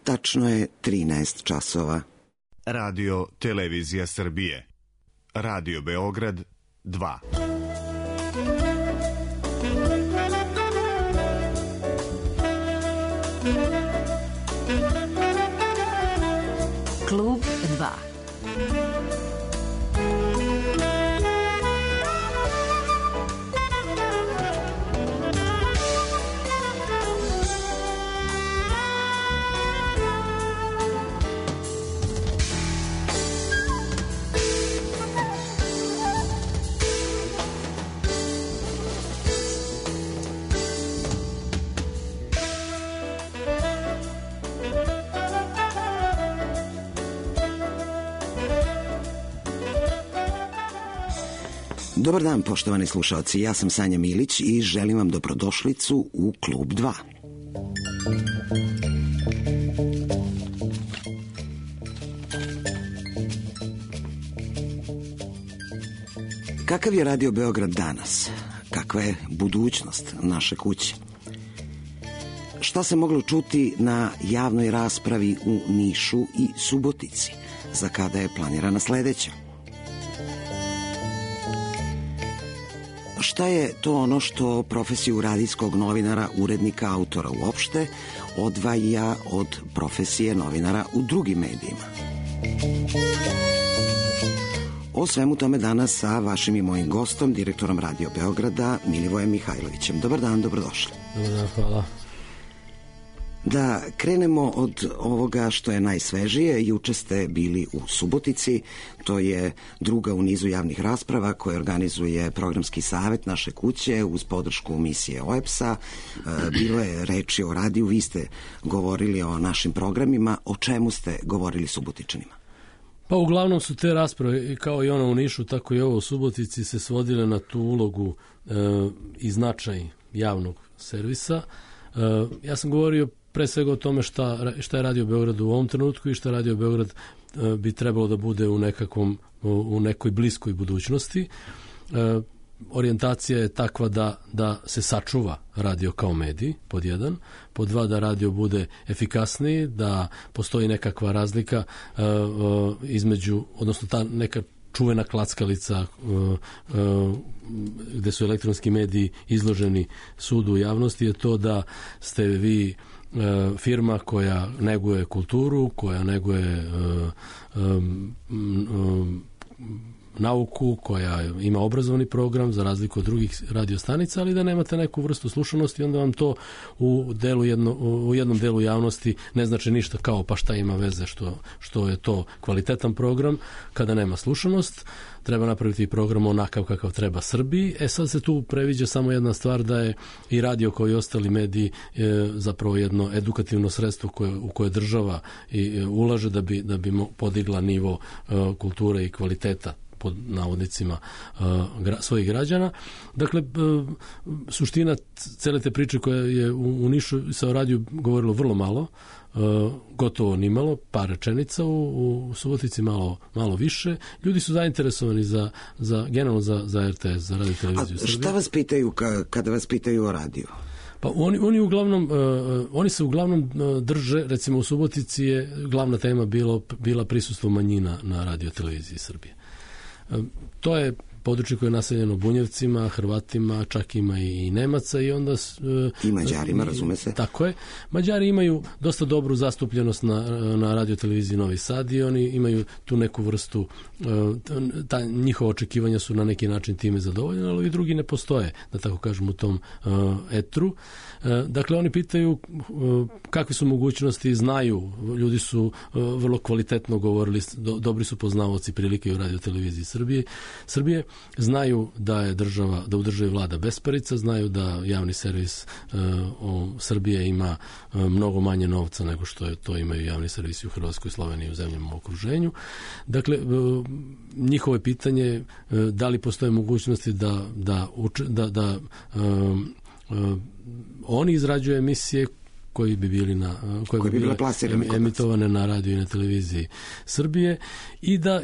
Tačno je 13 časova. Radio Televizija Srbije. Radio Beograd 2. Klub 2. Dobar dan, poštovani slušalci, ja sam Sanja Milić i želim vam dobrodošlicu u Klub 2. Kakav je Radio Beograd danas? Kakva je budućnost naše kuće? Šta se moglo čuti na javnoj raspravi u Nišu i Subotici? Za kada je planirana sledeća? Šta je to ono što profesiju radijskog novinara, urednika, autora uopšte odvaja od profesije novinara u drugim medijima? O svemu tome danas sa vašim i mojim gostom, direktorom Radio Beograda, Milivojem Mihajlovićem. Dobar dan, dobrodošli. Dobar dan, hvala. Da krenemo od ovoga što je najsvežije. Juče ste bili u Subotici, to je druga u nizu javnih rasprava koje organizuje programski savet naše kuće uz podršku misije OEPS-a. Bilo je reči o radiju, vi ste govorili o našim programima. O čemu ste govorili Subotičanima? Pa uglavnom su te rasprave, kao i ona u Nišu, tako i ovo u Subotici, se svodile na tu ulogu i značaj javnog servisa. Ja sam govorio pre svega o tome šta je Radio Beograd u ovom trenutku i šta Radio Beograd bi trebalo da bude u nekoj bliskoj budućnosti. Orijentacija je takva da se sačuva radio kao medij, pod jedan, pod dva da radio bude efikasniji, da postoji nekakva razlika između, odnosno ta neka čuvena klackalica gde su elektronski mediji izloženi sudu javnosti je to da ste vi firma koja neguje kulturu, koja neguje nauku, koja ima obrazovni program za razliku od drugih radiostanica, ali da nemate neku vrstu slušanosti, onda vam to u jednom delu javnosti ne znači ništa, kao pa šta ima veze što je to kvalitetan program kada nema slušanost. Treba napraviti program onakav kakav treba Srbiji. Sad se tu previđa samo jedna stvar, da je i radio kao i ostali mediji zapravo jedno edukativno sredstvo u koje država ulaže da bi podigla nivo kulture i kvaliteta pod navodnicima svojih građana. Dakle, suština cele te priče koja je u Nišu sa radiju govorilo vrlo malo, gotovo nimalo, par rečenica, u Subotici malo više. Ljudi su zainteresovani generalno za RTS, za Radio Televiziju Srbije. A šta vas pitaju kada vas pitaju o radiju? Pa oni se uglavnom drže, recimo u Subotici je glavna tema bila prisustvo manjina na Radio Televiziji Srbije. To je područje koje je naseljeno Bunjevcima, Hrvatima, čak ima i Nemaca i onda... I Mađarima, razume se. Tako je. Mađari imaju dosta dobru zastupljenost na Radio Televiziji Novi Sad i oni imaju tu neku vrstu, njihova očekivanja su na neki način time zadovoljene, ali i drugi ne postoje, da tako kažem, u tom etru. Dakle, oni pitaju kakve su mogućnosti, znaju, ljudi su vrlo kvalitetno govorili, dobri su poznavaoci prilike u Radio Televiziji Srbije, znaju da u državi vlada besparica, znaju da javni servis Srbije ima mnogo manje novca nego što to imaju javni servisi u Hrvatskoj, Sloveniji i u zemljama u okruženju. Dakle, njihovo je pitanje da li postoje mogućnosti da oni izrađuju emisije koji bi bili bile emitovane na radiju i na televiziji Srbije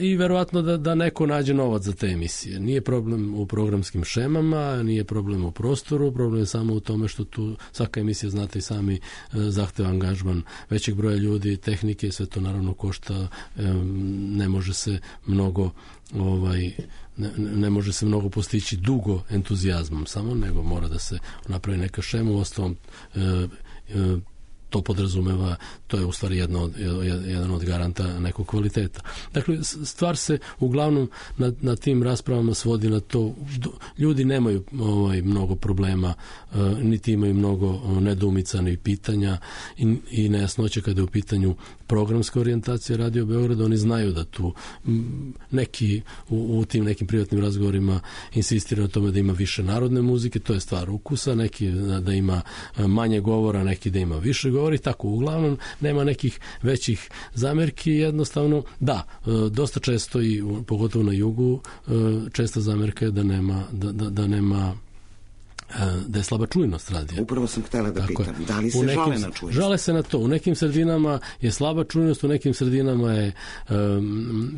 i verovatno da neko nađe novac za te emisije. Nije problem u programskim šemama, nije problem u prostoru, problem je samo u tome što tu svaka emisija, znate i sami, zahteva angažman većeg broja ljudi, tehnike, sve to naravno košta, ne može se mnogo postići dugo entuzijazmom samo, nego mora da se napravi neka šema. Uostalom to podrazumeva, to je u stvari jedan od garanta nekog kvaliteta. Dakle, stvar se uglavnom na tim raspravama svodi na to, ljudi nemaju mnogo problema, niti imaju mnogo nedoumica ni pitanja i nejasnoće kada je u pitanju programska orijentacija Radio Beograda. Oni znaju da tu neki u tim nekim privatnim razgovorima insistiraju na tome da ima više narodne muzike, to je stvar ukusa, neki da ima manje govora, neki da ima više govora i tako. Uglavnom nema nekih većih zamerki, jednostavno dosta često i pogotovo na jugu česta zamerka je da je slaba čujnost radija. Upravo sam htjela da pitam, da li se žale na čujnost? Žale se na to. U nekim sredinama je slaba čujnost, u nekim sredinama je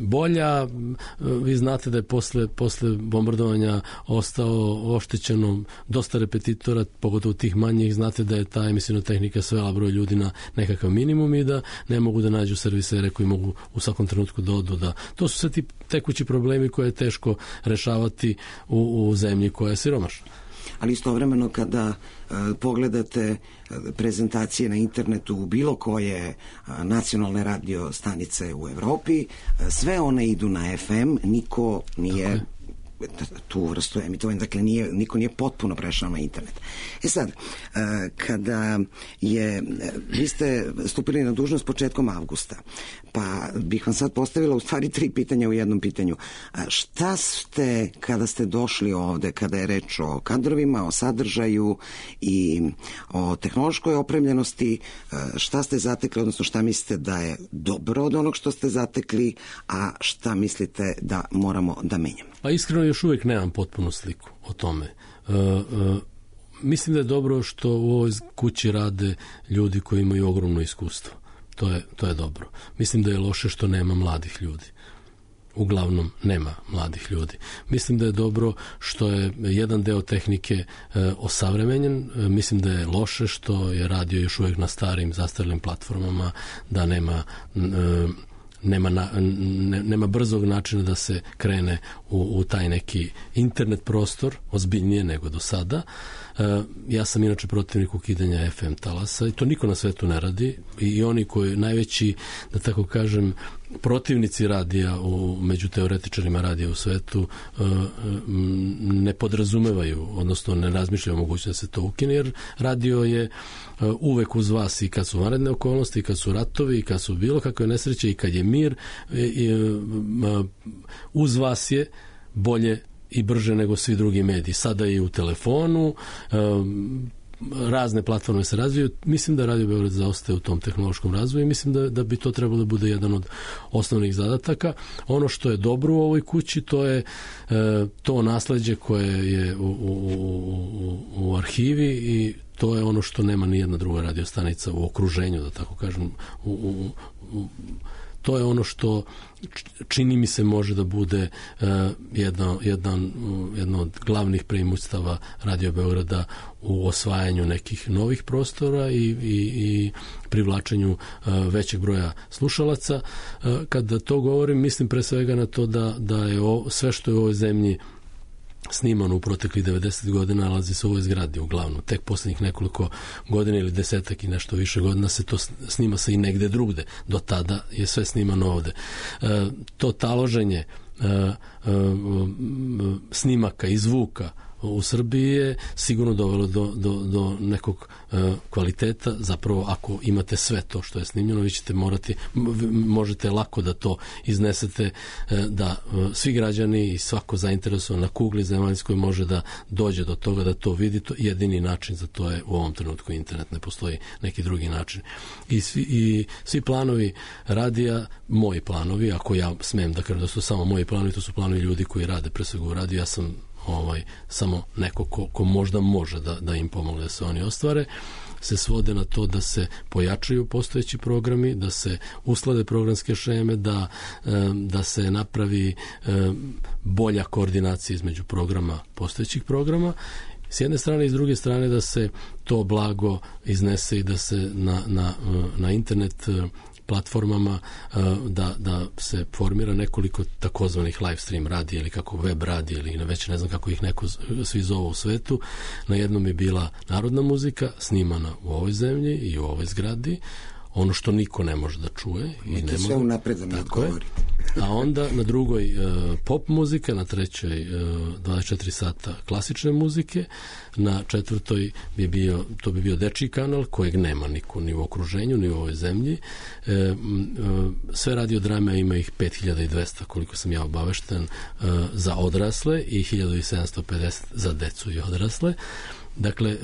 bolja. Vi znate da je posle bombardovanja ostao oštećeno dosta repetitora, pogotovo tih manjih. Znate da je ta emisijna tehnika svela broj ljudi na nekakav minimum i da ne mogu da nađu servisere koji mogu u svakom trenutku da odu. To su sve ti tekući problemi koje je teško rešavati u zemlji koja je siromašna. Ali istovremeno kada pogledate prezentacije na internetu u bilo koje nacionalne radio stanice u Evropi, sve one idu na FM, niko nije tu vrstu emitovanja, dakle niko nije potpuno prešao na internet. Sad, kada vi ste stupili na dužnost početkom avgusta, pa bih vam sad postavila u stvari 3 pitanja u jednom pitanju. Šta ste, kada ste došli ovde, kada je reč o kadrovima, o sadržaju i o tehnološkoj opremljenosti, šta ste zatekli, odnosno šta mislite da je dobro od onog što ste zatekli, a šta mislite da moramo da menjamo? Pa iskreno još uvijek nemam potpunu sliku o tome. Mislim da je dobro što u ovoj kući rade ljudi koji imaju ogromno iskustvo. To je dobro. Mislim da je loše što nema mladih ljudi. Uglavnom nema mladih ljudi. Mislim da je dobro što je jedan deo tehnike osavremenjen. Mislim da je loše što je radio još uvijek na starim, zastarjelim platformama, da nema brzog načina da se krene u taj neki internet prostor, ozbiljnije nego do sada. Ja sam inače protivnik ukidanja FM talasa i to niko na svetu ne radi i oni koji najveći, da tako kažem, protivnici radija među teoretičarima radija u svetu ne podrazumevaju, odnosno ne razmišljaju o mogućnosti da se to ukine, jer radio je uvek uz vas i kad su vanredne okolnosti, i kad su ratovi, i kad su bilo kakve nesreće, i kad je mir, uz vas je bolje i brže nego svi drugi mediji. Sada i u telefonu, razne platforme se razvijaju. Mislim da Radio Beograd zaostaje u tom tehnološkom razvoju i mislim da bi to trebalo da bude jedan od osnovnih zadataka. Ono što je dobro u ovoj kući, to je to nasleđe koje je u arhivi i to je ono što nema ni jedna druga radiostanica u okruženju, da tako kažem. To je ono što čini mi se može da bude jedno od glavnih preimustava Radio Beograda u osvajanju nekih novih prostora i privlačenju većeg broja slušalaca. Kada to govorim, mislim pre svega na to da je sve što je u ovoj zemlji snimano u proteklih 90 godina nalazi se u ovoj zgradi uglavnom. Tek posljednjih nekoliko godina ili desetak i nešto više godina se to snima se i negde drugde. Do tada je sve snimano ovde. To taloženje snimaka i zvuka u Srbiji je sigurno dovelo do nekog kvaliteta. Zapravo, ako imate sve to što je snimljeno, vi ćete možete lako da to iznesete, da svi građani i svako zainteresovan na kugli zemaljskoj može da dođe do toga, da to vidi. Jedini način za to je u ovom trenutku internet, ne postoji neki drugi način. I svi planovi radija, moji planovi, ako ja smem da kažem da su samo moji planovi, to su planovi ljudi koji rade pre svega u radiju. Ja sam samo neko ko možda može da im pomogne da se oni ostvare, se svode na to da se pojačaju postojeći programi, da se usklade programske šeme, da se napravi bolja koordinacija između programa, postojećih programa s jedne strane i s druge strane da se to blago iznese i da se na internet platformama da se formira nekoliko takozvanih live stream radija ili kako web radija ili već ne znam kako ih neko svi zovu u svetu. Na jednom je bila narodna muzika snimana u ovoj zemlji i u ovoj zgradi, ono što niko ne može da čuje i ne sve unapred da mi odgovori. A onda na drugoj pop muzika, na trećoj 24 sata klasične muzike, na četvrtoj bi bio dečiji kanal kojeg nema niko ni u okruženju ni u ovoj zemlji. Sve radiodrame ima ih 5200 koliko sam ja obavešten za odrasle i 1750 za decu i odrasle. Dakle,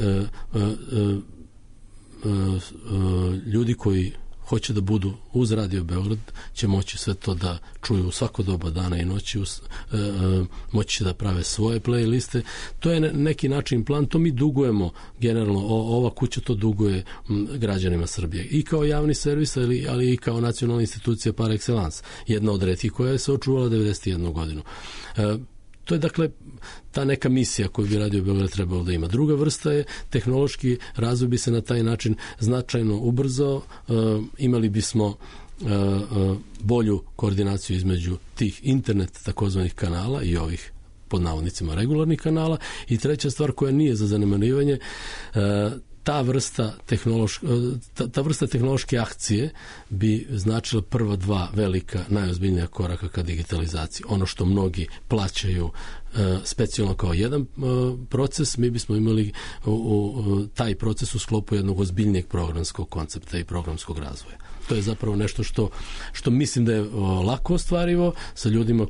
ljudi koji hoće da budu uz Radio Beograd će moći sve to da čuju u svako doba dana i noći, moći će da prave svoje playliste. To je neki način plan, to mi dugujemo generalno, ova kuća to duguje građanima Srbije i kao javni servis, ali i kao nacionalna institucija par excellence, jedna od retkih koja je se očuvala 91 godinu. To je dakle ta neka misija koju bi Radio Beograd trebalo da ima. Druga vrsta je tehnološki razvoj bi se na taj način značajno ubrzao, imali bismo bolju koordinaciju između tih internet takozvanih kanala i ovih pod navodnicima regularnih kanala i treća stvar koja nije za zanemarivanje, ta vrsta tehnološke akcije bi značila prva dva velika, najozbiljnija koraka ka digitalizaciji. Ono što mnogi plaćaju specijalno kao jedan proces, mi bismo imali taj proces u sklopu jednog ozbiljnijeg programskog koncepta i programskog razvoja. To je zapravo nešto što mislim da je lako ostvarivo sa ljudima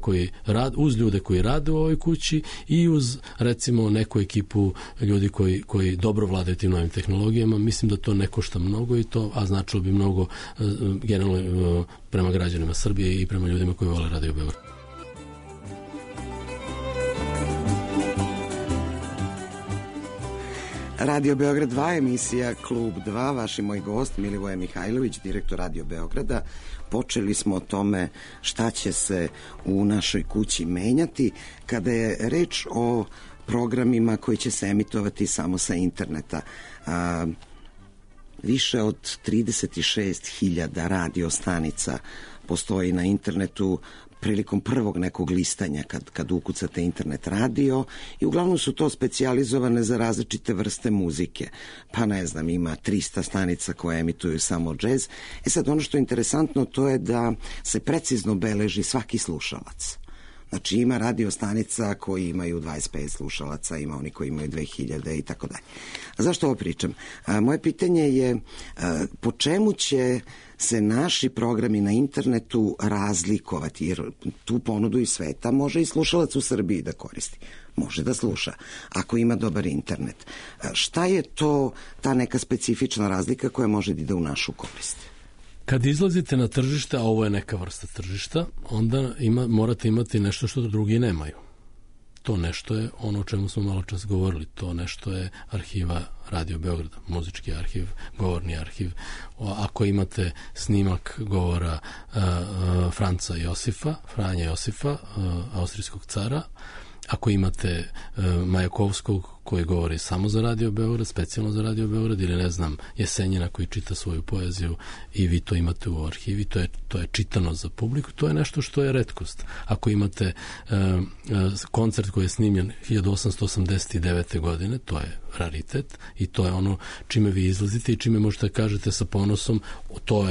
uz ljude koji rade u ovoj kući i uz recimo neku ekipu ljudi koji dobro vladaju tim novim tehnologijama. Mislim da to ne košta mnogo a značilo bi mnogo generalno prema građanima Srbije i prema ljudima koji vole Radio Beograd. Radio Beograd 2, emisija Klub 2, vaš i moj gost Milivoje Mihajlović, direktor Radio Beograda. Počeli smo o tome šta će se u našoj kući menjati kada je reč o programima koji će se emitovati samo sa interneta. Više od 36.000 radio stanica postoji na internetu prilikom prvog nekog listanja kad ukucate internet radio i uglavnom su to specijalizovane za različite vrste muzike. Pa ne znam, ima 300 stanica koje emituju samo džez. Sad ono što je interesantno to je da se precizno beleži svaki slušalac. Znači ima radio stanica koji imaju 25 slušalaca, ima oni koji imaju 2000 i tako dalje. A zašto ovo pričam? Moje pitanje je po čemu će se naši programi na internetu razlikovati, jer tu ponudu iz sveta može i slušalac u Srbiji da koristi. Može da sluša, ako ima dobar internet. Šta je to ta neka specifična razlika koja može da ide u našu korist? Kad izlazite na tržište, a ovo je neka vrsta tržišta, onda morate imati nešto što drugi nemaju. To nešto je ono o čemu smo malo čas govorili. To nešto je arhiva Radio Beograda, muzički arhiv, govorni arhiv. Ako imate snimak govora Franja Josifa, austrijskog cara, ako imate Majakovskog koji govori samo za Radio Beograd, specijalno za Radio Beograd, ili ne znam, Jesenjina koji čita svoju poeziju i vi to imate u arhivi, to je čitano za publiku, to je nešto što je retkost. Ako imate koncert koji je snimljen 1889. godine, to je raritet i to je ono čime vi izlazite i čime možete kažete sa ponosom, to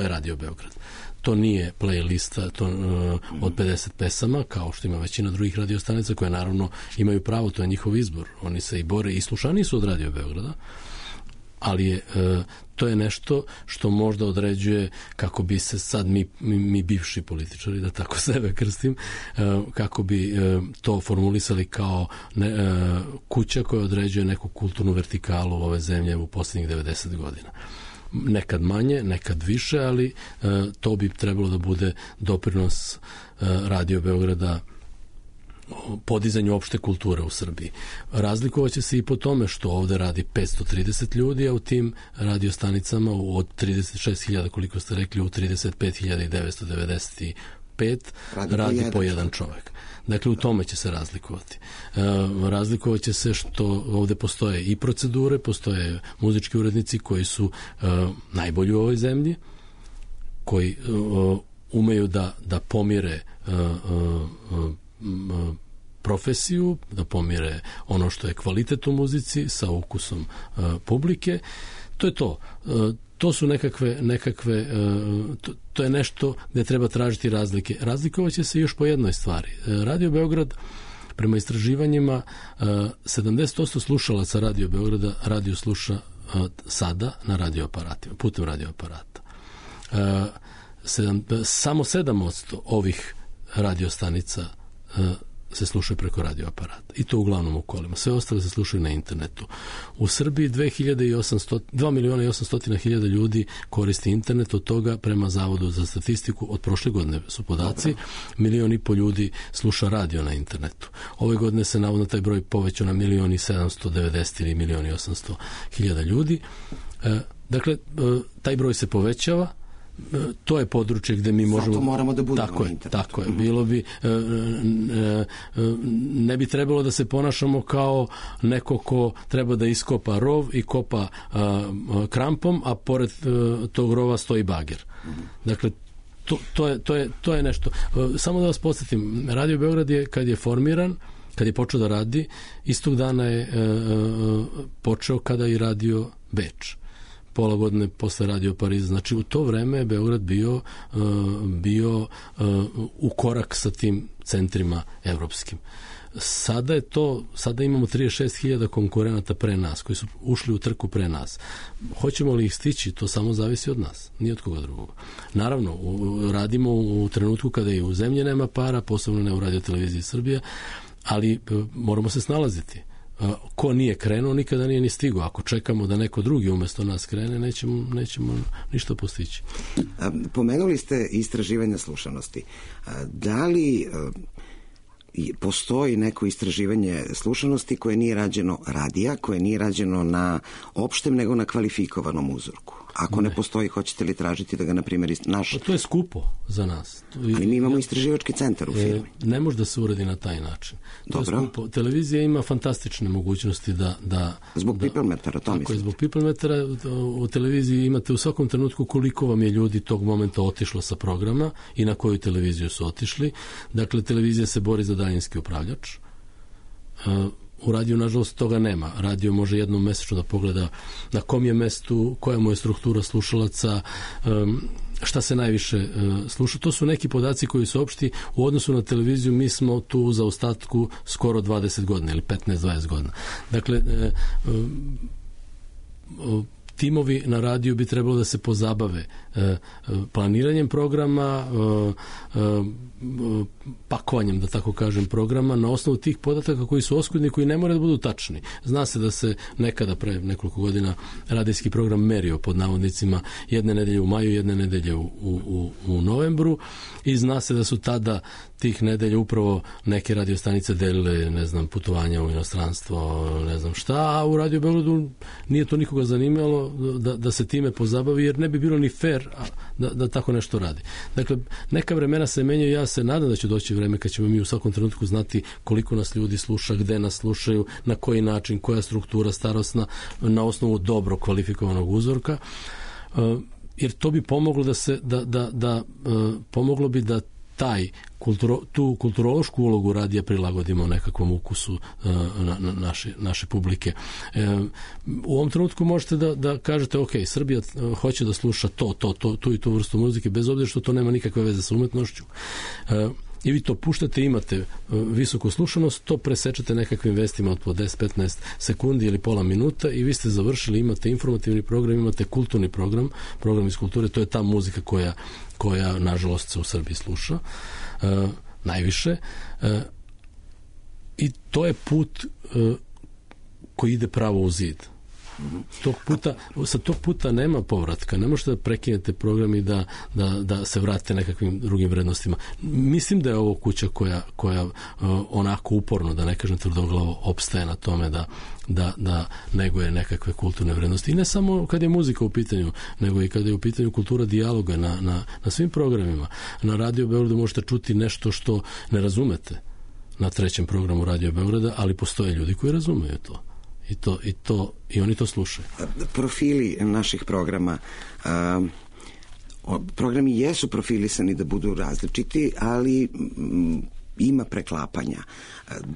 je Radio Beograd. To nije playlista od 50 pesama, kao što ima većina drugih radiostanica koje naravno imaju pravo, to je njihov izbor. Oni se i bore i slušani su od Radio Beograda, ali to je nešto što možda određuje kako bi se sad mi bivši političari, da tako sebe krstim, kako bi to formulisali kao kuća koja određuje neku kulturnu vertikalu ove zemlje u posljednjih 90 godina. Nekad manje, nekad više, ali to bi trebalo da bude doprinos Radio Beograda podizanju opšte kulture u Srbiji. Razlikovaće se i po tome što ovde radi 530 ljudi, a u tim radiostanicama od 36.000, koliko ste rekli, u 35.995 radi po jedan čovek. Dakle, u tome će se razlikovati. Razlikovaće se što ovde postoje i procedure, postoje muzički urednici koji su najbolji u ovoj zemlji, koji umeju da pomire profesiju, da pomire ono što je kvalitet u muzici sa ukusom publike. To je to. To su nekakve to je nešto gde treba tražiti razlike. Razlikovaće se još po jednoj stvari. Radio Beograd, prema istraživanjima, 70% slušalaca Radio Beograda radio sluša sada na radioaparatima, putem radioaparata. Samo 7% ovih radiostanica se slušaju preko radioaparata. I to uglavnom u kolima. Sve ostale se slušaju na internetu. U Srbiji 2.800.000 ljudi koristi internet, od toga prema Zavodu za statistiku od prošle godine su podaci, 1,5 miliona ljudi sluša radio na internetu. Ove godine se navodno taj broj povećao na 1.790.000 ili 1.800.000 ljudi. Dakle, taj broj se povećava. To je područje gde mi možemo... Zato moramo da budemo na internetu. Tako je. Bilo bi... Ne bi trebalo da se ponašamo kao neko ko treba da iskopa rov i kopa krampom, a pored tog rova stoji bager. Dakle, to je nešto. Samo da vas podsjetim, Radio Beograd je, kad je formiran, kad je počeo da radi, istog dana je počeo kada i radio Beč. Pola godine posle Radio Pariza. Znači, u to vreme je Beograd bio u korak sa tim centrima evropskim. Sada imamo 36.000 konkurenata pre nas, koji su ušli u trku pre nas. Hoćemo li ih stići, to samo zavisi od nas, nije od koga drugog. Naravno, radimo u trenutku kada i u zemlji nema para, posebno ne u Radio Televiziji Srbije, ali moramo se snalaziti. Ko nije krenuo, nikada nije ni stigao. Ako čekamo da neko drugi umesto nas krene, nećemo ništa postići. Pomenuli ste istraživanje slušanosti. Da li postoji neko istraživanje slušanosti koje nije rađeno radija, koje nije rađeno na opštem, nego na kvalifikovanom uzorku? Ako ne postoji, hoćete li tražiti da ga, na primjer, naš... To je skupo za nas. Ali mi imamo istraživački centar u firmi. Ne može da se uradi na taj način. Dobro. Televizija ima fantastične mogućnosti da zbog pipelmetara, to mislim. Zbog pipelmetara u televiziji imate u svakom trenutku koliko vam je ljudi tog momenta otišlo sa programa i na koju televiziju su otišli. Dakle, televizija se bori za daljinski upravljač. U radiju, nažalost, toga nema. Radio može jednom mesečno da pogleda na kom je mestu, koja mu je struktura slušalaca, šta se najviše sluša. To su neki podaci koji su opšti. U odnosu na televiziju mi smo tu u zaostatku skoro 20 godina ili 15-20 godina. Dakle, timovi na radiju bi trebalo da se pozabave planiranjem programa, pakovanjem, da tako kažem, programa na osnovu tih podataka koji su oskudni, koji ne moraju da budu tačni. Zna se da se nekada pre nekoliko godina radijski program merio pod navodnicima jedne nedelje u maju, jedne nedelje u novembru i zna se da su tada tih nedelja upravo neke radiostanice delile, ne znam, putovanja u inostranstvo, ne znam šta, a u Radio Beogradu nije to nikoga zanimalo da se time pozabavi, jer ne bi bilo ni fair da tako nešto radi. Dakle, neka vremena se menjaju, ja se nadam da će doći vreme kad ćemo mi u svakom trenutku znati koliko nas ljudi sluša, gde nas slušaju, na koji način, koja struktura starosna, na osnovu dobro kvalifikovanog uzorka, jer to bi pomoglo pomoglo bi da tu kulturološku ulogu radija prilagodimo nekakvom ukusu naše publike. U ovom trenutku možete da kažete, ok, Srbija hoće da sluša tu i tu vrstu muzike, bez obzira što to nema nikakve veze sa umetnošću. I vi to puštate, imate visoku slušanost, to presečete nekakvim vestima od po 10-15 sekundi ili pola minuta i vi ste završili, imate informativni program, imate kulturni program iz kulture, to je ta muzika koja nažalost se u Srbiji sluša najviše i to je put koji ide pravo u zid. Sa tog puta nema povratka. Ne možete da prekinete program i da se vrate nekakvim drugim vrednostima. Mislim da je ovo kuća koja onako uporno, da ne kažem tvrdoglavo, opstaje na tome da neguje nekakve kulturne vrednosti. I ne samo kad je muzika u pitanju, nego i kad je u pitanju kultura dijaloga na svim programima. Na Radio Beogradu možete čuti nešto što ne razumete na 3. programu Radio Beograda, ali postoje ljudi koji razumeju to. I oni to slušaju. Profili naših programa, programi jesu profilisani da budu različiti, ali ima preklapanja.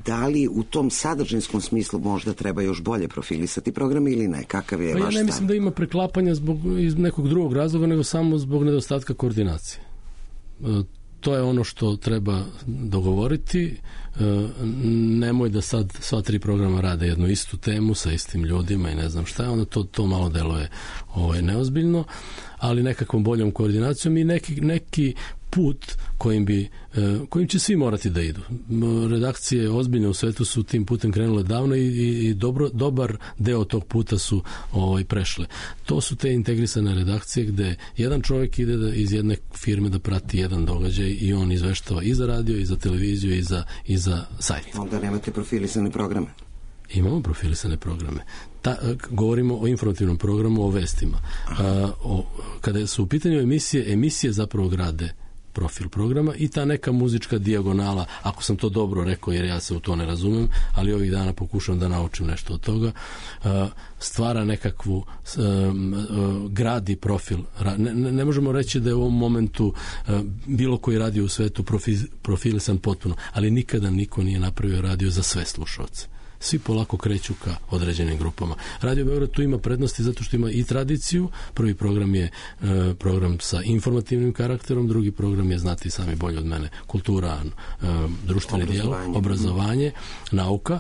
Da li u tom sadržinskom smislu možda treba još bolje profilisati programe ili ne? Kakav je vaš stav? Ja ne mislim da ima preklapanja iz nekog drugog razloga, nego samo zbog nedostatka koordinacije. To je ono što treba dogovoriti. Nemoj da sad sva 3 programa rade jednu istu temu sa istim ljudima i ne znam šta je, onda to malo deluje neozbiljno, ali nekakvom boljom koordinacijom i neki put kojim će svi morati da idu. Redakcije ozbiljne u svetu su tim putem krenule davno i dobar deo tog puta su prešle. To su te integrisane redakcije gde jedan čovjek ide iz jedne firme da prati jedan događaj i on izveštava i za radio, i za televiziju, i za sajt. Onda nemate profilisane programe? Imamo profilisane programe. Govorimo o informativnom programu, o vestima. Kada su u pitanju emisije zapravo grade profil programa i ta neka muzička dijagonala, ako sam to dobro rekao jer ja se u to ne razumem, ali ovih dana pokušam da naučim nešto od toga, stvara nekakvu gradi profil. Ne možemo reći da je u ovom momentu bilo koji radio u svetu profilisan potpuno, ali nikada niko nije napravio radio za sve slušalce. Svi polako kreću ka određenim grupama. Radio Beograd tu ima prednosti zato što ima i tradiciju. Prvi program je program sa informativnim karakterom, drugi program je, znati sami bolje od mene, kultura, društveni dijalog, obrazovanje, nauka,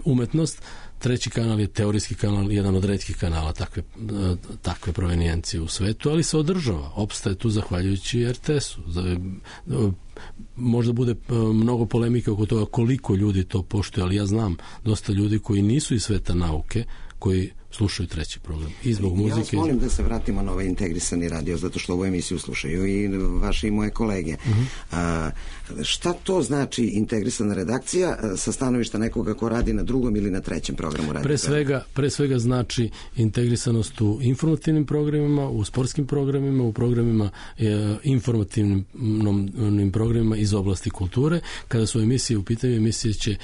umetnost. 3. kanal je teorijski kanal, jedan od retkih kanala takve provenijencije u svetu, ali se održava. Opstaje tu zahvaljujući RTS-u. Možda bude mnogo polemike oko toga koliko ljudi to poštuje, ali ja znam dosta ljudi koji nisu iz sveta nauke, koji slušaju 3. program. I zbog muzike... Ja vas molim da se vratimo na ovaj integrisani radio, zato što ovu emisiju slušaju i vaše i moje kolege. Šta to znači integrisana redakcija sa stanovišta nekoga ko radi na 2. ili na 3. programu radio? Pre svega znači integrisanost u informativnim programima, u sportskim programima, u programima informativnim programima iz oblasti kulture. Kada su emisije u pitanju, emisije će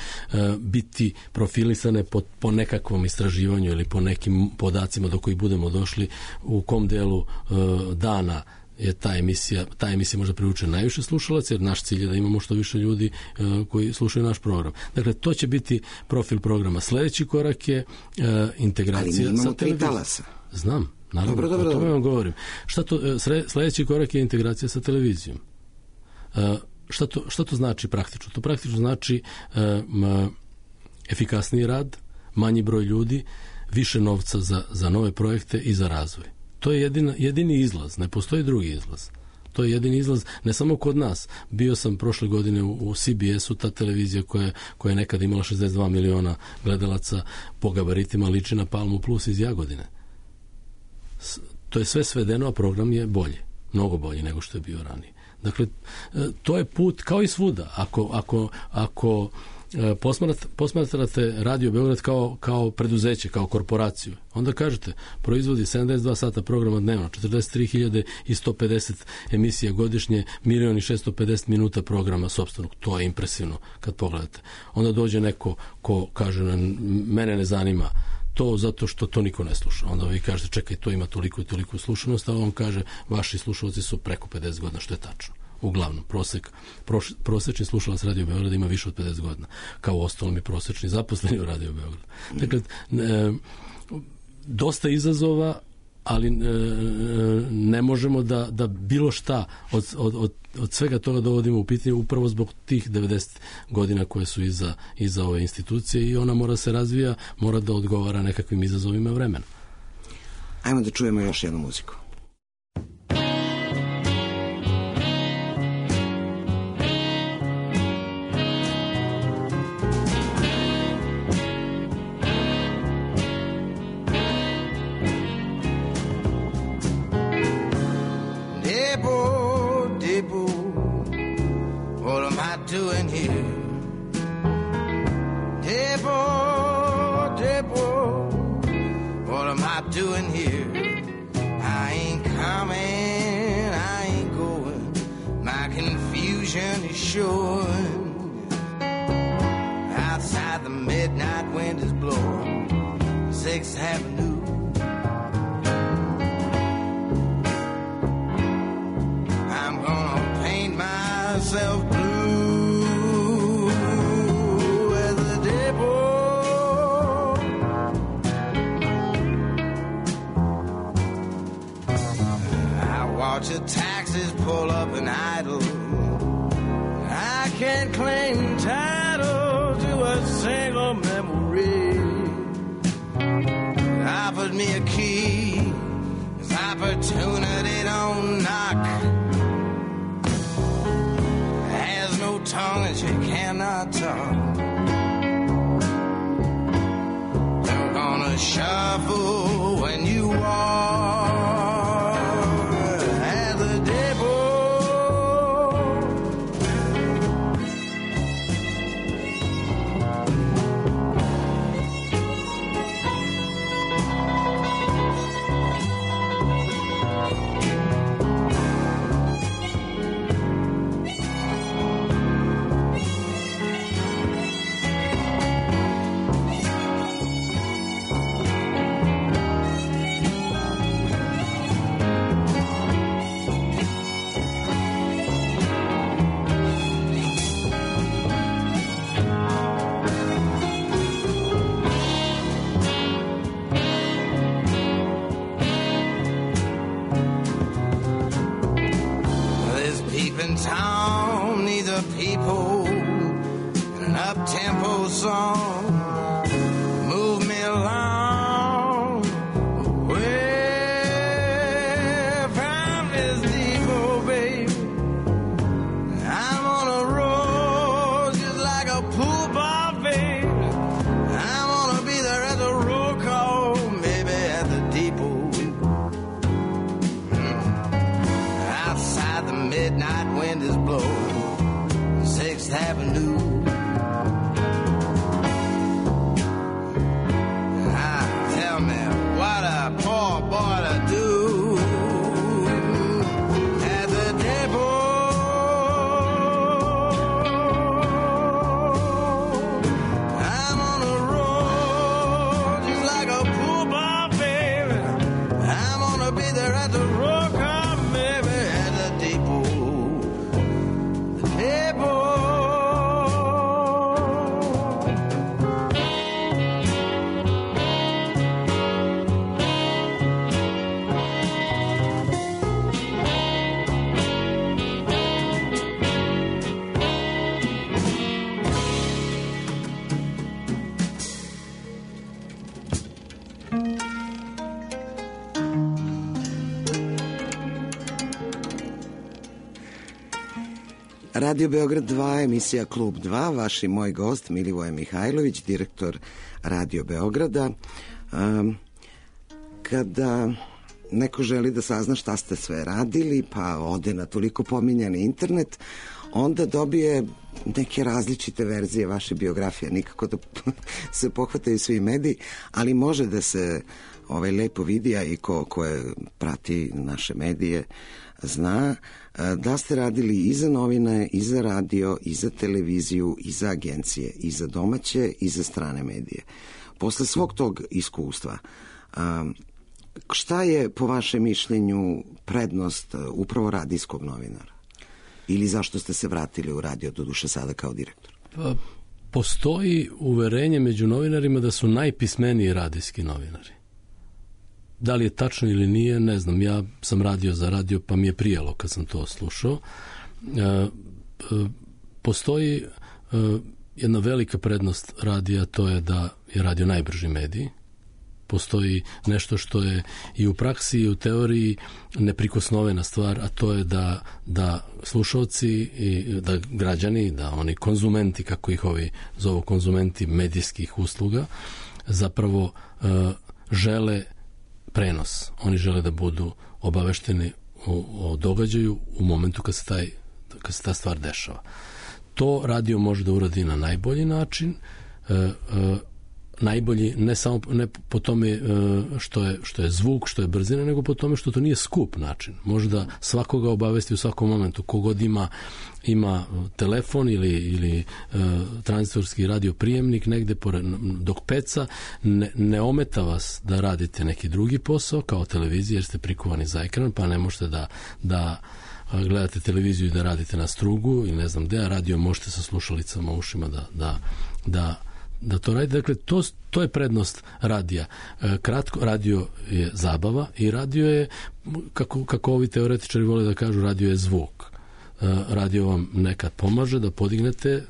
biti profilisane po nekakvom istraživanju ili po nekim podacima do kojih budemo došli, u kom delu dana je ta emisija možda privuče najviše slušalaca, jer naš cilj je da imamo što više ljudi koji slušaju naš program. Dakle, to će biti profil programa. Sljedeći korak je integracija sa televizijom. Znam, naravno, o tome vam govorim. Sljedeći korak je integracija sa televizijom. Šta to znači praktično? To praktično znači efikasniji rad, manji broj ljudi, više novca za nove projekte i za razvoj. To je jedini izlaz, ne postoji drugi izlaz. To je jedini izlaz, ne samo kod nas. Bio sam prošle godine u CBS-u, ta televizija koja je nekada imala 62 miliona gledalaca, po gabaritima liči na Palmu Plus iz Jagodine. To je sve svedeno, a program je bolji, mnogo bolji nego što je bio ranije. Dakle, to je put kao i svuda. Ako posmatrate Radio Beograd kao preduzeće, kao korporaciju, onda kažete, proizvodi 72 sata programa dnevno, 43.150 emisija godišnje, 1.650.000 minuta programa sopstvenog. To je impresivno kad pogledate. Onda dođe neko ko kaže, mene ne zanima to zato što to niko ne sluša. Onda vi kažete, čekaj, to ima toliko i toliko slušanost, a on kaže, vaši slušalci su preko 50 godina, što je tačno. Uglavnom, prosečni slušalac Radio Beograda ima više od 50 godina, kao u ostalom i prosečni zaposleni u Radio Beogradu. Dakle, dosta izazova, ali ne možemo da bilo šta od svega toga dovodimo u pitanje upravo zbog tih 90 godina koje su iza ove institucije, i ona mora se razvija, mora da odgovara nekakvim izazovima vremena. Ajmo da čujemo još jednu muziku. shore. Outside the midnight wind is blowing 6th Avenue. I'm gonna paint myself blue as the day broke. I watch the taxis pull up and idle. I can't claim title to a single memory. Offered me a key, 'cause opportunity don't knock. Has no tongue and she cannot talk. You're gonna shuffle when you walk as the day broke. Town needs a people and an up-tempo song. Move me along away from this depot, baby. I'm on a road just like a pool ball, baby. I'm gonna be there at the roll call, maybe at the depot. Outside the midnight wind is blowing 6th Avenue. Tell me what a poor boy to do at the depot. I'm on a road just like a pool ball, baby. I'm gonna be there at the roll call, maybe at the depot. Radio Beograd 2, emisija Klub 2, vaš i moj gost Milivoje Mihajlović, direktor Radio Beograda. Kada neko želi da sazna šta ste sve radili, pa ode na toliko pominjani internet, onda dobije neke različite verzije vaše biografije. Nikako da se pohvataju svi mediji, ali može da se lepo vidi, a i ko je prati naše medije zna da ste radili i za novine, i za radio, i za televiziju, i za agencije, i za domaće, i za strane medije. Posle svog tog iskustva, šta je po vašem mišljenju prednost upravo radijskog novinara? Ili zašto ste se vratili u radio, doduše sada kao direktor? Pa, postoji uverenje među novinarima da su najpismeniji radijski novinari. Da li je tačno ili nije, ne znam. Ja sam radio za radio, pa mi je prijalo kad sam to slušao. Postoji jedna velika prednost radija, to je da je radio najbrži medij. Postoji nešto što je i u praksi i u teoriji neprikosnovena stvar, a to je da slušalci i da građani, da oni konzumenti, kako ih ovi zovu, konzumenti medijskih usluga, zapravo žele prenos. Oni žele da budu obavešteni o događaju u momentu kad se ta stvar dešava. To radio može da uradi na najbolji način. najbolji ne samo ne po tome što je zvuk, što je brzina, nego po tome što to nije skup način. Može da svakoga obavesti u svakom momentu. Kogod ima telefon ili tranzitorski radio prijemnik negde dok peca, ne ometa vas da radite neki drugi posao kao televizija jer ste prikovani za ekran, pa ne možete da gledate televiziju i da radite na strugu ili ne znam gde, a radio možete sa slušalicama u ušima da to radite. Dakle, to je prednost radija. Kratko, radio je zabava i radio je, kako ovi teoretičari vole da kažu, radio je zvuk. Radio vam nekad pomaže da podignete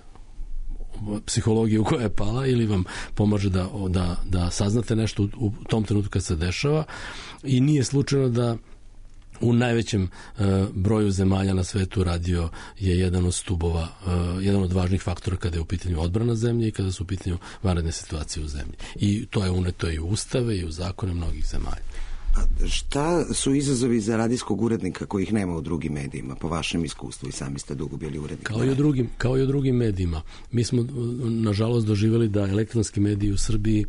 psihologiju koja je pala ili vam pomaže da saznate nešto u tom trenutku kad se dešava i nije slučajno da u najvećem broju zemalja na svetu radio je jedan od stubova, jedan od važnih faktora kada je u pitanju odbrana zemlje i kada su u pitanju vanredne situacije u zemlji. I to je uneto i u ustave i u zakone mnogih zemalja. A šta su izazovi za radijskog urednika kojih nema u drugim medijima, po vašem iskustvu, i sami ste dugo bili urednik? Kao i u drugim medijima. Mi smo, nažalost, doživjeli da elektronski mediji u Srbiji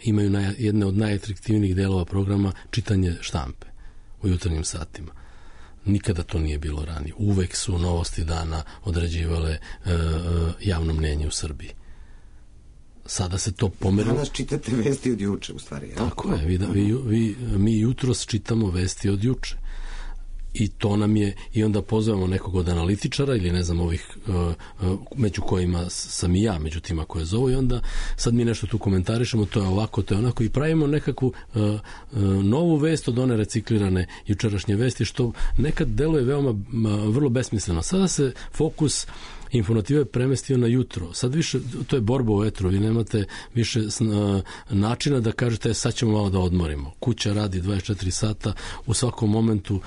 imaju jedne od najatraktivnijih delova programa čitanje štampe u jutarnjim satima. Nikada to nije bilo ranije. Uvek su novosti dana određivale javno mnjenje u Srbiji. Sada se to pomerilo. Danas čitate vesti od juče, u stvari. Tako je. Mi jutros čitamo vesti od juče. I to nam je, i onda pozovemo nekog od analitičara ili ne znam ovih među kojima sam i ja, među tima koje zovu, i onda sad mi nešto tu komentarišemo, to je ovako, to je onako, i pravimo nekakvu novu vest od one reciklirane jučerašnje vesti, što nekad deluje veoma vrlo besmisleno. Sada se fokus informative premestio na jutro. Sad više, to je borba u etru, vi nemate više načina da kažete sad ćemo malo da odmorimo. Kuća radi 24 sata, u svakom momentu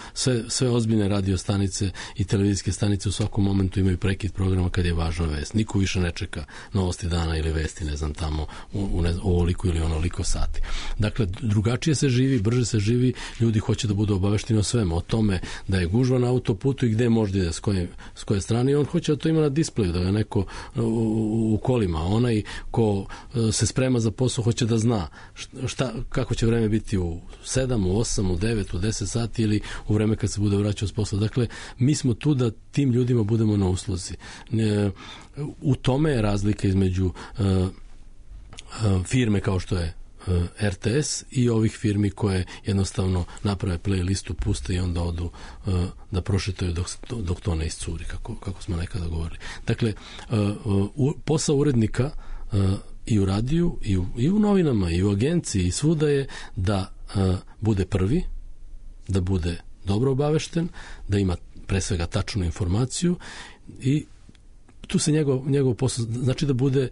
sve ozbiljne radio stanice i televizijske stanice u svakom momentu imaju prekid programa kad je važna vest. Niko više ne čeka novosti dana ili vesti, ne znam, tamo u ovoliko ili onoliko sati. Dakle, drugačije se živi, brže se živi, ljudi hoće da budu obavešteni o svemu, o tome da je gužva na autoputu i gde može ide, s koje strane, i on hoće da to ima na displeju, da ga neko u kolima, onaj ko se sprema za posao hoće da zna kako će vreme biti u 7, u 8, u 9, u 10 sati ili u vreme kad se bude vraćao s posla. Dakle, mi smo tu da tim ljudima budemo na usluzi. U tome je razlika između firme kao što je RTS i ovih firmi koje jednostavno naprave playlistu, puste i onda odu da prošetaju dok to ne iscuri, kako smo nekada govorili. Dakle, posao urednika i u radiju, i u novinama, i u agenciji, i svuda je da bude prvi, da bude dobro obavešten, da ima pre svega tačnu informaciju, i tu se njegov posao, znači da bude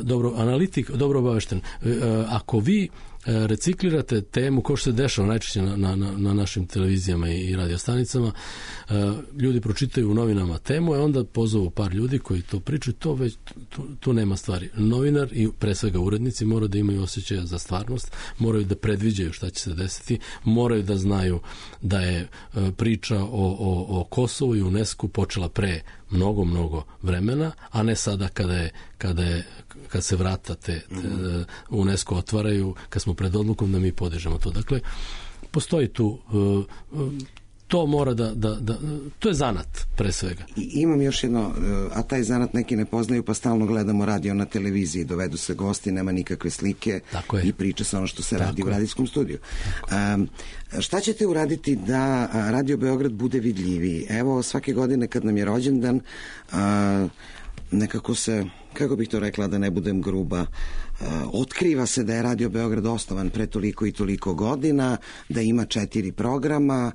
dobro analitik, dobro obavešten. Ako vi reciklirate temu, kao što se dešava najčešće na našim televizijama i radiostanicama, ljudi pročitaju u novinama temu, a onda pozovu par ljudi koji to pričaju, tu nema stvari. Novinar i pre svega urednici moraju da imaju osjećaja za stvarnost, moraju da predviđaju šta će se desiti, moraju da znaju da je priča o Kosovu i UNESCO počela pre mnogo vremena, a ne sada kad se vrata UNESCO otvaraju, kad smo pred odlukom da mi podižemo to. Dakle, postoji tu, to mora to je zanat pre svega. I imam još jedno, a taj zanat neki ne poznaju, pa stalno gledamo radio na televiziji, dovedu se gosti, nema nikakve slike i priča se ono što se radi u radijskom studiju. Šta ćete uraditi da Radio Beograd bude vidljiviji? Evo, svake godine kad nam je rođendan, nekako se, kako bih to rekla da ne budem gruba, otkriva se da je Radio Beograd osnovan pre toliko i toliko godina, da ima 4 programa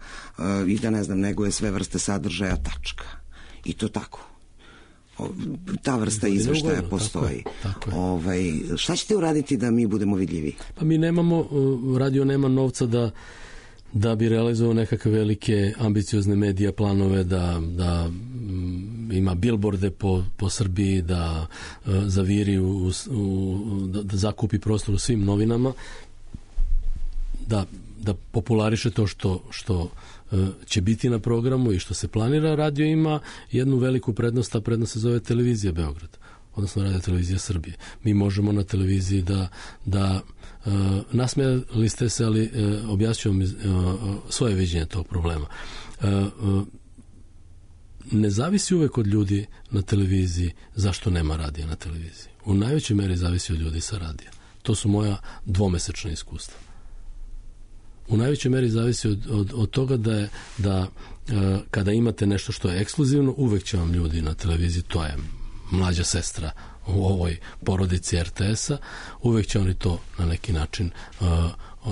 i da, ne znam, neguje sve vrste sadržaja, tačka. I to tako. Ta vrsta izveštaja postoji. Tako je. Šta ćete uraditi da mi budemo vidljivi? Pa mi nemamo, radio nema novca da bi realizovao nekakve velike ambiciozne medija planove, da ima bilborde po Srbiji, da zaviri da zakupi prostor u svim novinama, da populariše to što će biti na programu i što se planira. Radio ima jednu veliku prednost, a prednost se zove Televizija Beograd. odnosno Radio televizija Srbije. Mi možemo na televiziji da nasmijali ste se, ali objasnio vam svoje viđenje tog problema. Ne zavisi uvek od ljudi na televiziji zašto nema radija na televiziji. U najvećoj meri zavisi od ljudi sa radija. To su moja dvomesečna iskustva. U najvećoj meri zavisi od toga da kada imate nešto što je ekskluzivno, uvek će vam ljudi na televiziji, to je mlađa sestra u ovoj porodici RTS-a, uvek će oni to na neki način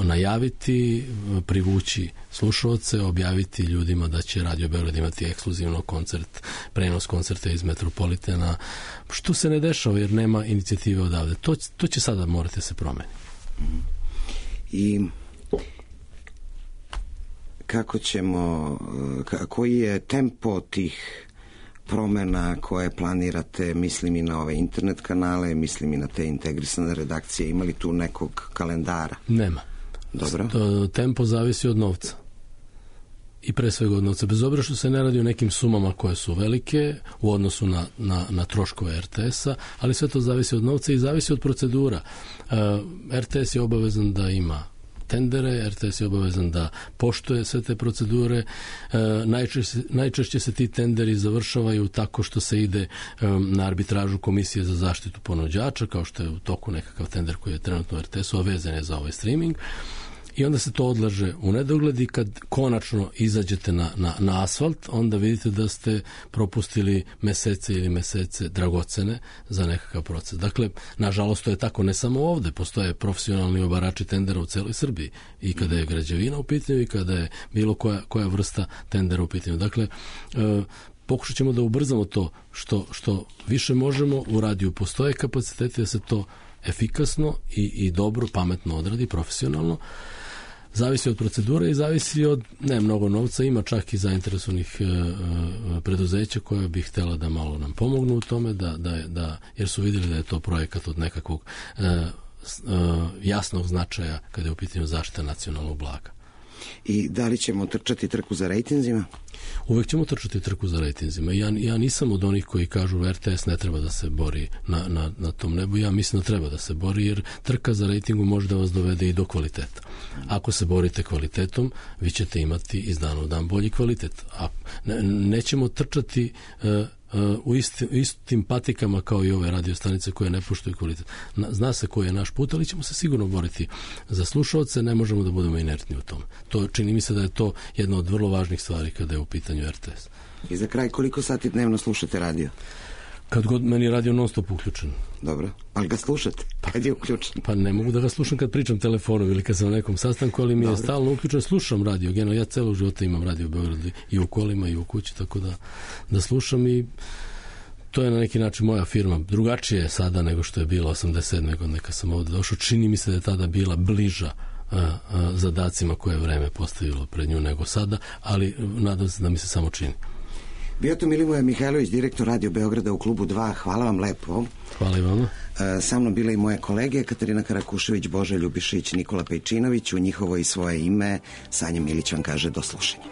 najaviti, privući slušaoce, objaviti ljudima da će Radio Beograd imati ekskluzivno koncert, prenos koncerta iz Metropolitana, što se ne dešava jer nema inicijative odavde. To će sada morati se promeniti. I kako ćemo, koji je tempo tih promena koje planirate, mislim i na ove internet kanale, mislim i na te integrisane redakcije, ima li tu nekog kalendara? Nema. Dobro. Tempo zavisi od novca. I pre svega od novca. Bez obzira što se ne radi o nekim sumama koje su velike u odnosu na troškove RTS-a, ali sve to zavisi od novca i zavisi od procedura. RTS je obavezan da ima tendere, RTS je obavezan da poštuje sve te procedure. Najčešće se ti tenderi završavaju tako što se ide na arbitražu Komisije za zaštitu ponuđača, kao što je u toku nekakav tender koji je trenutno u RTS-u, a vezan je za ovaj streaming. I onda se to odlaže u nedogled i kad konačno izađete na asfalt, onda vidite da ste propustili mesece dragocene za nekakav proces. Dakle, nažalost, to je tako ne samo ovde, postoje profesionalni obarači tendera u celoj Srbiji i kada je građevina u pitanju i kada je bilo koja vrsta tendera u pitanju. Dakle, pokušat ćemo da ubrzamo to što više možemo. U radiju postoje kapaciteti da se to efikasno i dobro, pametno odradi, profesionalno. Zavisi od procedure i zavisi od ne mnogo novca, ima čak i zainteresovanih preduzeća koja bi htjela da malo nam pomognu u tome, jer su vidjeli da je to projekat od nekakvog jasnog značaja kada je u pitanju zaštita nacionalnog blaga. I da li ćemo trčati trku za rejtinzima? Uvek ćemo trčati trku za rejtinzima. Ja nisam od onih koji kažu RTS ne treba da se bori na tom nebu. Ja mislim da treba da se bori jer trka za rejtingu može da vas dovede i do kvaliteta. Ako se borite kvalitetom, vi ćete imati iz dana u dan bolji kvalitet. Nećemo trčati u istim patikama kao i ove radiostanice koje ne poštuju kvalitet. Zna se koji je naš put, ali ćemo se sigurno boriti za slušaoce, ne možemo da budemo inertni u tome. To čini mi se da je to jedna od vrlo važnih stvari kada je u pitanju RTS. I za kraj, koliko sati dnevno slušate radio? Kad god meni je radio non stop uključen. Dobro, ali ga slušate? Kad je uključen? Pa ne mogu da ga slušam kad pričam telefonom ili kad sam na nekom sastanku, ali mi je stalno uključen. Slušam radio, generalno ja celog života imam radio u Beogradu i u kolima i u kući, tako da slušam i to je na neki način moja firma. Drugačije je sada nego što je bilo 87. godine kad sam ovdje došao. Čini mi se da je tada bila bliža zadacima koje je vreme postavilo pred nju nego sada, ali nadam se da mi se samo čini. Bio to Milivoje Mihajlović, direktor Radio Beograda u klubu 2. Hvala vam lepo. Hvala i vama. Sa mnom bile i moje kolege Katarina Karakušević, Boža Ljubišić, Nikola Pejčinović. U njihovo i svoje ime Sanja Milić vam kaže do slušanja.